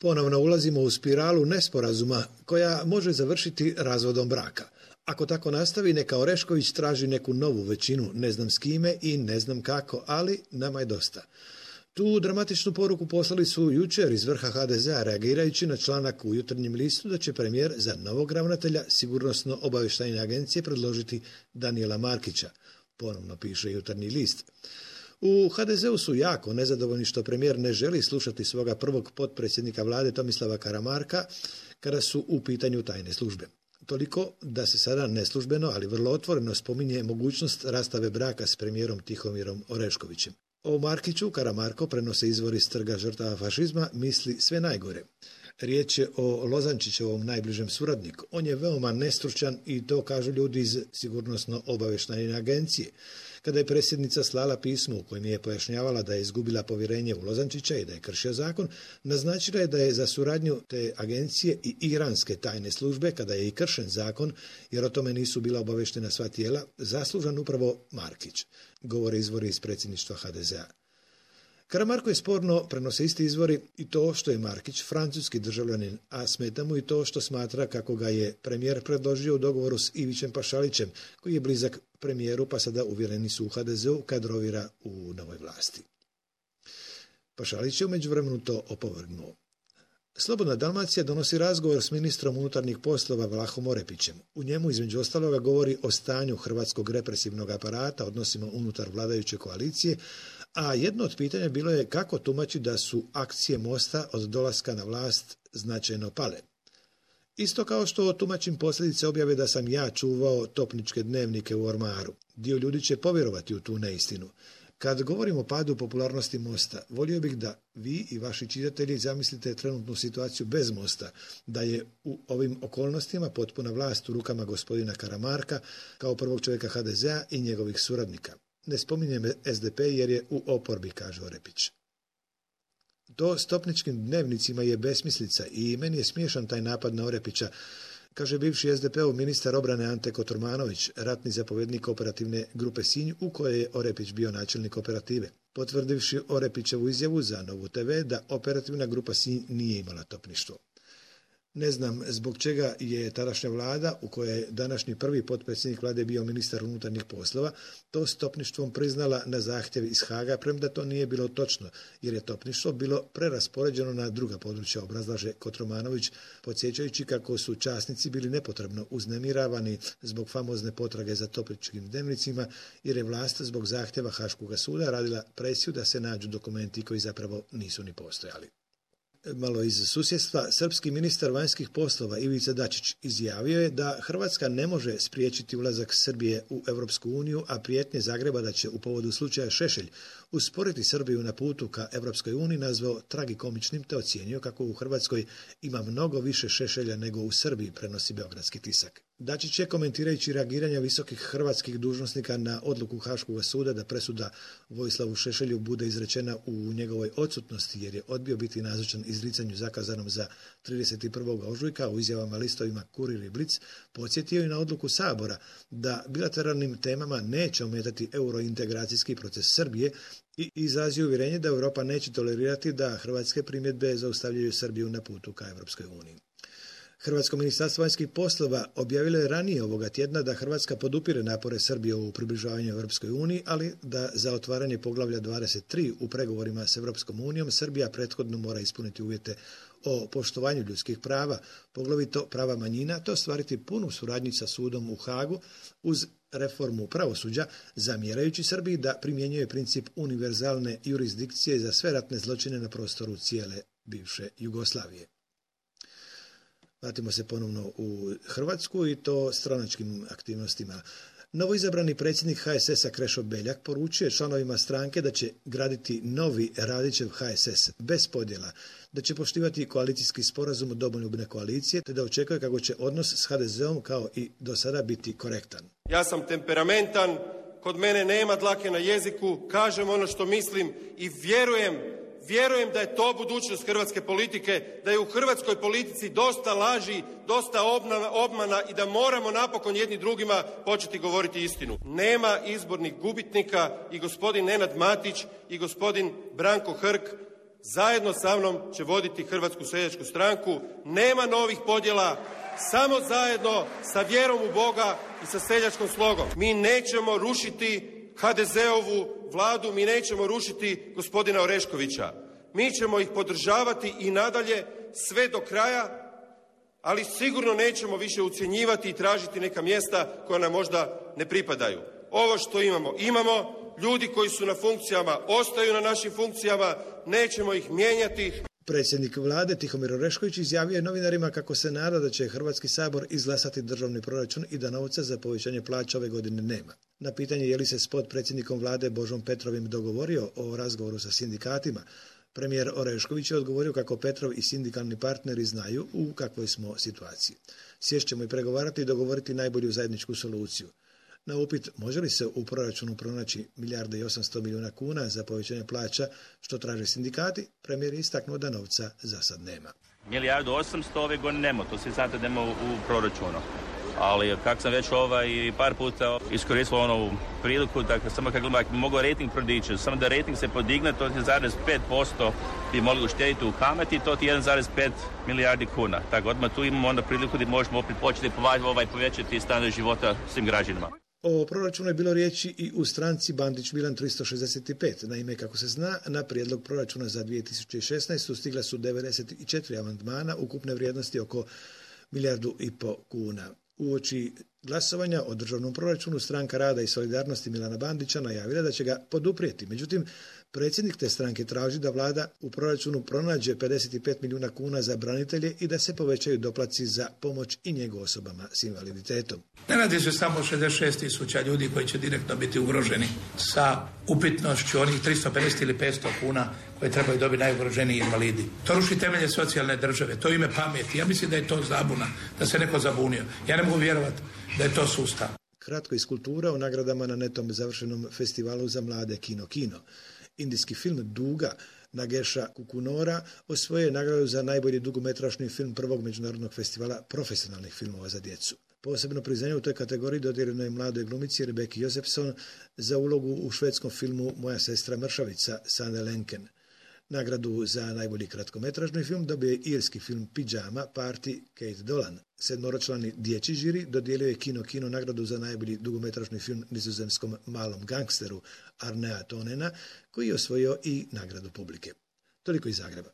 Ponovno ulazimo u spiralu nesporazuma koja može završiti razvodom braka. Ako tako nastavi, neka Orešković traži neku novu većinu, ne znam s kime i ne znam kako, ali nama je dosta. Tu dramatičnu poruku poslali su jučer iz vrha HDZ-a reagirajući na članak u Jutarnjem listu da će premijer za novog ravnatelja Sigurnosno-obavještajne agencije predložiti Danijela Markića, ponovno piše Jutarnji list. U HDZ-u su jako nezadovoljni što premijer ne želi slušati svoga prvog potpredsjednika vlade Tomislava Karamarka kada su u pitanju tajne službe. Toliko da se sada neslužbeno, ali vrlo otvoreno spominje mogućnost rastave braka s premijerom Tihomirom Oreškovićem. O Markiću Karamarko, prenose izvori iz Trga žrtava fašizma, misli sve najgore. Riječ je o Lozančićevom najbližem suradniku. On je veoma nestručan i to kažu ljudi iz Sigurnosno-obavještajne agencije. Kada je predsjednica slala pismo u kojem je pojašnjavala da je izgubila povjerenje u Lozančića i da je kršio zakon, naznačila je da je za suradnju te agencije i iranske tajne službe, kada je i kršen zakon, jer o tome nisu bila obavještena sva tijela, zaslužan upravo Markić, govore izvori iz predsjedništva HDZ-a. Karamarko je sporno, prenose isti izvori, i to što je Markić francuski državljanin, a smeta mu i to što smatra kako ga je premijer predložio u dogovoru s Ivićem Pašalićem, koji je blizak premijeru pa sada uvjereni su u HDZ-u kadrovira u novoj vlasti. Pašalić je u međuvremenu to opovrgnuo. Slobodna Dalmacija donosi razgovor s ministrom unutarnjih poslova Vlahom Orepićem. U njemu između ostaloga govori o stanju hrvatskog represivnog aparata, odnosima unutar vladajuće koalicije, a jedno od pitanja bilo je kako tumači da su akcije Mosta od dolaska na vlast značajno pale. Isto kao što tumačim posljedice objave da sam ja čuvao topničke dnevnike u ormaru. Dio ljudi će povjerovati u tu neistinu. Kad govorim o padu popularnosti Mosta, volio bih da vi i vaši čitatelji zamislite trenutnu situaciju bez Mosta, da je u ovim okolnostima potpuna vlast u rukama gospodina Karamarka kao prvog čovjeka HDZ-a i njegovih suradnika. Ne spominjem SDP jer je u oporbi, kaže Orepić. To s topničkim dnevnicima je besmislica i meni je smiješan taj napad na Orepića, kaže bivši SDP-ov ministar obrane Ante Kotromanović, ratni zapovjednik operativne grupe Sinj, u kojoj je Orepić bio načelnik operative, potvrdivši Orepićevu izjavu za Novu TV da operativna grupa Sinj nije imala topništvo. Ne znam zbog čega je tadašnja vlada, u kojoj je današnji prvi potpredsjednik vlade bio ministar unutarnjih poslova, to s topništvom priznala na zahtjev iz Haga, premda to nije bilo točno, jer je topništvo bilo preraspoređeno na druga područja, obrazlaže Kotromanović, podsjećajući kako su časnici bili nepotrebno uznemiravani zbog famozne potrage za topničkim dnevnicima, jer je vlast zbog zahtjeva Haškoga suda radila presiju da se nađu dokumenti koji zapravo nisu ni postojali. Malo iz susjedstva, srpski ministar vanjskih poslova Ivica Dačić izjavio je da Hrvatska ne može spriječiti ulazak Srbije u Europsku uniju, a prijetnje Zagreba da će u povodu slučaja Šešelj usporiti Srbiju na putu ka Europskoj uniji nazvao tragikomičnim, te ocijenio kako u Hrvatskoj ima mnogo više Šešelja nego u Srbiji, prenosi beogradski tisak. Dačić je, komentirajući reagiranja visokih hrvatskih dužnosnika na odluku Haškoga suda da presuda Vojislavu Šešelju bude izrečena u njegovoj odsutnosti jer je odbio biti nazočan izricanju zakazanom za 31. ožujka u izjavama listovima Kurir i Blic, podsjetio i na odluku Sabora da bilateralnim temama neće ometati eurointegracijski proces Srbije i izrazio uvjerenje da Europa neće tolerirati da hrvatske primjedbe zaustavljaju Srbiju na putu ka Europskoj uniji. Hrvatsko ministarstvo vanjskih poslova objavilo je ranije ovoga tjedna da Hrvatska podupire napore Srbije u približavanju Europskoj uniji, ali da za otvaranje poglavlja 23 u pregovorima s Europskom unijom Srbija prethodno mora ispuniti uvjete o poštovanju ljudskih prava, poglavito prava manjina, te ostvariti punu suradnju sa sudom u Hagu uz reformu pravosuđa, zamjerajući Srbiji da primjenjuje princip univerzalne jurisdikcije za sve ratne zločine na prostoru cijele bivše Jugoslavije. Vratimo se ponovno u Hrvatsku i to stranačkim aktivnostima. Novoizabrani predsjednik HSS-a Krešo Beljak poručuje članovima stranke da će graditi novi Radićev HSS bez podjela, da će poštivati koalicijski sporazum Domoljubne koalicije, te da očekuje kako će odnos s HDZ-om kao i do sada biti korektan. Ja sam temperamentan, kod mene nema dlake na jeziku, kažem ono što mislim i vjerujem da je to budućnost hrvatske politike, da je u hrvatskoj politici dosta laži, dosta obmana i da moramo napokon jedni drugima početi govoriti istinu. Nema izbornih gubitnika i gospodin Nenad Matić i gospodin Branko Hrg zajedno sa mnom će voditi Hrvatsku seljačku stranku. Nema novih podjela, samo zajedno sa vjerom u Boga i sa seljačkom slogom. Mi nećemo rušiti HDZ-ovu vladu, mi nećemo rušiti gospodina Oreškovića. Mi ćemo ih podržavati i nadalje sve do kraja, ali sigurno nećemo više ucjenjivati i tražiti neka mjesta koja nam možda ne pripadaju. Ovo što imamo, ljudi koji su na funkcijama ostaju na našim funkcijama, nećemo ih mijenjati. Predsjednik vlade Tihomir Orešković izjavio je novinarima kako se nada da će Hrvatski sabor izglasati državni proračun i da novca za povećanje plaća ove godine nema. Na pitanje je li se s potpredsjednikom vlade Božom Petrovim dogovorio o razgovoru sa sindikatima, premijer Orešković je odgovorio kako Petrov i sindikalni partneri znaju u kakvoj smo situaciji. Sješćemo i pregovarati i dogovoriti najbolju zajedničku soluciju. Na upit može li se u proračunu pronaći 1.800.000.000 kuna za povećanje plaća što traže sindikati, premijer je istaknuo da novca za sad nema. 1.800.000 ove godine nema, to svi znate da nema u proračunu. Ali kako sam već par puta iskoristio onu priliku, dakle samo kako bi mogao rating prodići, samo da rating se podigne, to je 1,5% bi mogli uštediti u kamati, to je 1,5 milijardi kuna. Tako odmah tu imamo onda priliku da možemo opet početi povećati standard života svim građanima. O proračunu je bilo riječi i u stranci Bandić Milan 365. Naime, kako se zna, na prijedlog proračuna za 2016. stigla su 94 amandmana ukupne vrijednosti oko 1,5 milijardu kuna. Uoči glasovanja o državnom proračunu Stranka rada i solidarnosti Milana Bandića najavila da će ga poduprijeti. Međutim, predsjednik te stranke traži da vlada u proračunu pronađe 55 milijuna kuna za branitelje i da se povećaju doplaci za pomoć i njegu osobama s invaliditetom. Ne radi se samo o 66.000 ljudi koji će direktno biti ugroženi sa upitnošću onih 350 ili 500 kuna koje trebaju dobiti najugroženiji invalidi. To ruši temelje socijalne države, to ime pameti. Ja mislim da je to zabuna, da se neko zabunio. Ja ne mogu vjerovati da je to sustav. Kratko iz kulture o nagradama na netom završenom festivalu za mlade Kino. Indijski film Duga Nagesha Kukunora osvojio je nagradu za najbolji dugometražni film prvog međunarodnog festivala profesionalnih filmova za djecu. Posebno priznanje u toj kategoriji dodijeljeno je mladoj glumici Rebeki Josefson za ulogu u švedskom filmu Moja sestra mršavica Sanne Lenken. Nagradu za najbolji kratkometražni film dobio je irski film Pijama Party Kate Dolan. 7-člani dječji žiri dodijelio je Kino nagradu za najbolji dugometražni film nizozemskom Malom gangsteru Arnea Tonena, koji je osvojio i nagradu publike. Toliko iz Zagreba.